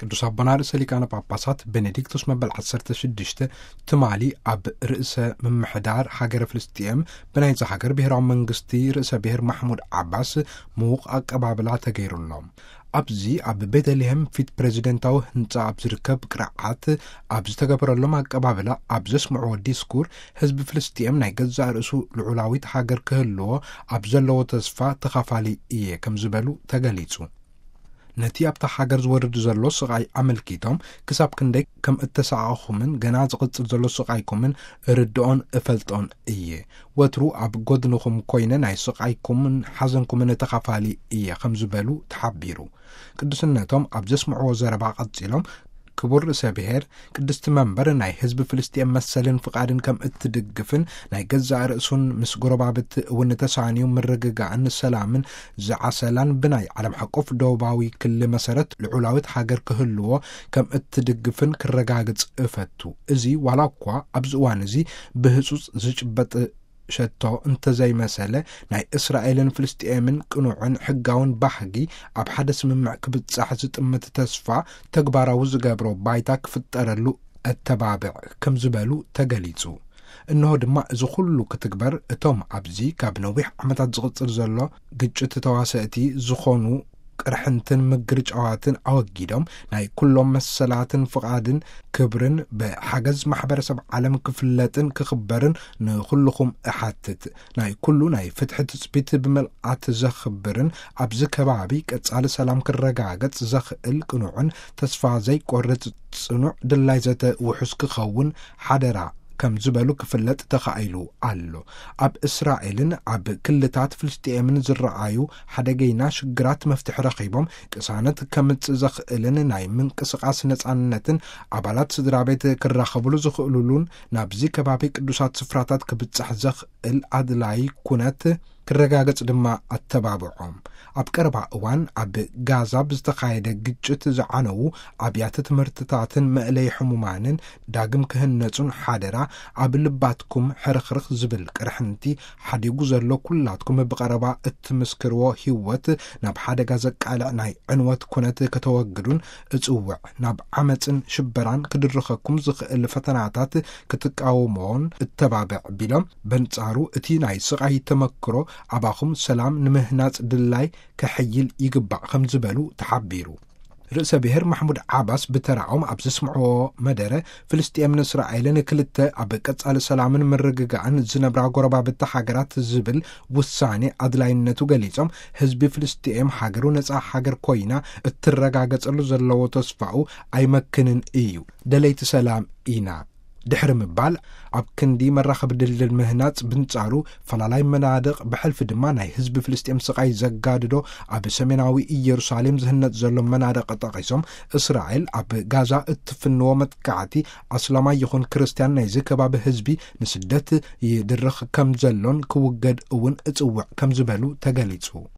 ቅዱስ ኣቦና ርእሰ ሊቃነ ጳጳሳት ቤኔዲክቶስ መበል ዓሰርተ ሽዱሽተ ትማሊ ኣብ ርእሰ ምምሕዳር ሃገረ ፍልስጥኤም ብናይዚ ሃገር ብሔራዊ መንግስቲ ርእሰ ብሔር ማሕሙድ ዓባስ ምዉቕ ኣቀባብላ ተገይሩሎም። ኣብዚ ኣብ ቤተልሔም ፊት ፕሬዚደንታዊ ህንጻ ኣብ ዝርከብ ቅርዓት ኣብ ዝተገበረሎም ኣቀባብላ ኣብ ዘስምዕዎ ዲስኩር፣ ህዝቢ ፍልስጥኤም ናይ ገዛእ ርእሱ ልዑላዊት ሃገር ክህልዎ ኣብ ዘለዎ ተስፋ ተኻፋሊ እየ ከም ዝበሉ ተገሊጹ። ነቲ ኣብታ ሃገር ዝወርድ ዘሎ ስቓይ ኣመልኪቶም፣ ክሳብ ክንደይ ከም እተሳቐኹምን ገና ዝቕጽል ዘሎ ስቓይኩምን ርድኦን እፈልጦን እየ። ወትሩ ኣብ ጎድንኹም ኮይነ ናይ ስቓይኩምን ሓዘንኩምን ተኻፋሊ እየ ከም ዝበሉ ተሓቢሩ። ቅዱስነቶም ኣብ ዘስምዕዎ ዘረባ ቀጺሎም፣ ክቡር ርእሰ ብሔር፣ ቅድስቲ መንበር ናይ ህዝቢ ፍልስጥኤም መሰልን ፍቓድን ከም እትድግፍን ናይ ገዛእ ርእሱን ምስ ጎረባብቲ እውን ተሳንዩ ምርግጋእን ሰላምን ዝዓሰላን ብናይ ዓለም ሓቆፍ ደቡባዊ ክሊ መሰረት ልዑላዊት ሃገር ክህልዎ ከም እትድግፍን ክረጋግጽ እፈቱ። እዚ ዋላ እኳ ኣብዚ እዋን እዚ ብህጹጽ ዝጭበጥ ሸቶ እንተዘይመሰለ፣ ናይ እስራኤልን ፍልስጥኤምን ቅኑዕን ሕጋውን ባህጊ ኣብ ሓደ ስምምዕ ክብጻሕ ዝጥምት ተስፋ ተግባራዊ ዝገብሮ ባይታ ክፍጠረሉ እተባብዕ ከም ዝበሉ ተገሊጹ። እንሆ ድማ እዚ ኩሉ ክትግበር እቶም ኣብዚ ካብ ነዊሕ ዓመታት ዝቕጽል ዘሎ ግጭት ተዋሰእቲ ዝኾኑ ቅርሕንትን ምግርጫዋትን ኣወጊዶም ናይ ኩሎም መሰላትን ፍቓድን ክብርን ብሓገዝ ማሕበረሰብ ዓለም ክፍለጥን ክኽበርን ንኹልኹም እሓትት። ናይ ኩሉ ናይ ፍትሒ ትጽቢት ብመልኣት ዘኽብርን ኣብዚ ከባቢ ቀጻሊ ሰላም ክረጋገጽ ዘኽእል ቅኑዕን ተስፋ ዘይቆርጽ ጽኑዕ ድላይ ዘተ ውሑስ ክኸውን ሓደራ ከም ዝበሉ ክፍለጥ ተኻኢሉ ኣሎ። ኣብ እስራኤልን ኣብ ክልታት ፍልስጥኤምን ዝረኣዩ ሓደገይና ሽግራት መፍትሒ ረኺቦም ቅሳነት ከምጽእ ዘኽእልን ናይ ምንቅስቓስ ነጻነትን ኣባላት ስድራ ቤት ክራኸብሉ ዝኽእሉሉን ናብዚ ከባቢ ቅዱሳት ስፍራታት ክብጻሕ ዘኽእል ኣድላይ ኩነት ክረጋገጽ ድማ ኣተባብዖም። ኣብ ቀረባ እዋን ኣብ ጋዛ ብዝተኻየደ ግጭት ዝዓነዉ ኣብያተ ትምህርትታትን መእለይ ሕሙማንን ዳግም ክህነጹን ሓደራ ኣብ ልባትኩም ሕርኽርኽ ዝብል ቅርሕንቲ ሓዲጉ ዘሎ ኩላትኩም ብቐረባ እትምስክርዎ ህይወት ናብ ሓደጋ ዘቃልዕ ናይ ዕንወት ኩነት ከተወግዱን እጽውዕ። ናብ ዓመጽን ሽበራን ክድርኸኩም ዝኽእል ፈተናታት ክትቃወሞን እተባብዕ ቢሎም፣ በንጻሩ እቲ ናይ ስቓይ ተመክሮ ኣባኹም ሰላም ንምህናጽ ድላይ ከሕይል ይግባእ ከም ዝበሉ ተሓቢሩ። ርእሰ ብሔር ማሕሙድ ዓባስ ብተራኦም ኣብ ዘስምዕዎ መደረ፣ ፍልስጥኤምን እስራኤልን ክልተ ኣብ ቀጻሊ ሰላምን ምርግጋእን ዝነብራ ጎረባብቲ ሃገራት ዝብል ውሳኔ ኣድላይነቱ ገሊጾም፣ ህዝቢ ፍልስጥኤም ሃገሩ ነጻ ሃገር ኮይና እትረጋገጸሉ ዘለዎ ተስፋኡ ኣይመክንን እዩ። ደለይቲ ሰላም ኢና ድሕሪ ምባል፣ ኣብ ክንዲ መራኸቢ ድልድል ምህናጽ ብንጻሩ ፈላላይ መናድቕ ብሕልፊ ድማ ናይ ህዝቢ ፍልስጤም ስቓይ ዘጋድዶ ኣብ ሰሜናዊ ኢየሩሳሌም ዝህነጽ ዘሎ መናድቕ ጠቒሶም፣ እስራኤል ኣብ ጋዛ እትፍንዎ መጥቃዕቲ ኣስላማይ ይኹን ክርስትያን ናይዚ ከባቢ ህዝቢ ንስደት ይድርኽ ከም ዘሎን ክውገድ እውን እጽውዕ ከም ዝበሉ ተገሊጹ።